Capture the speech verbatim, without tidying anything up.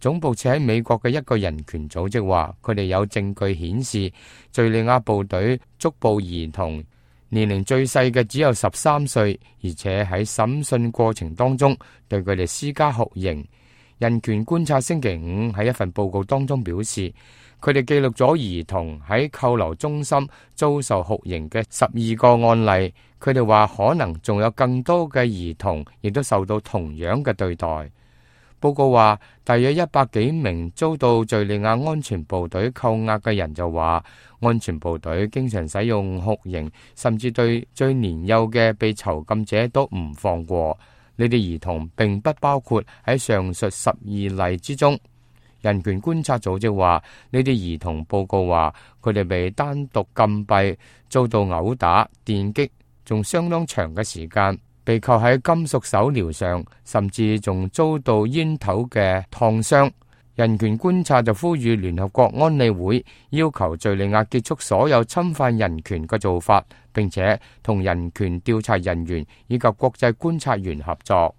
總部設喺美國嘅一個人權組織話，佢哋有證據顯示敘利亞部隊捉捕兒童，年齡最細嘅只有十三歲，而且喺審訊過程當中對佢哋施加酷刑。人權觀察星期五喺一份報告當中表示，佢哋記錄咗兒童喺扣留中心遭受酷刑嘅十二個案例。佢哋話可能仲有更多嘅兒童亦都受到同樣嘅對待。報告話，大約一百幾名遭到敘利亞安全部隊扣押嘅人就話，安全部隊經常使用酷刑，甚至對最年幼嘅被囚禁者都唔放過。呢啲兒童並不包括喺上述十二例之中。人權觀察組織話，呢啲兒童報告話，佢哋被單獨禁閉，遭到毆打、電擊，仲相當長嘅時間，被扣喺金屬手鐐上，甚至仲遭到煙頭嘅燙傷。人權觀察就呼籲聯合國安理會要求敘利亞結束所有侵犯人權嘅做法，並且同人權調查人員以及國際觀察員合作。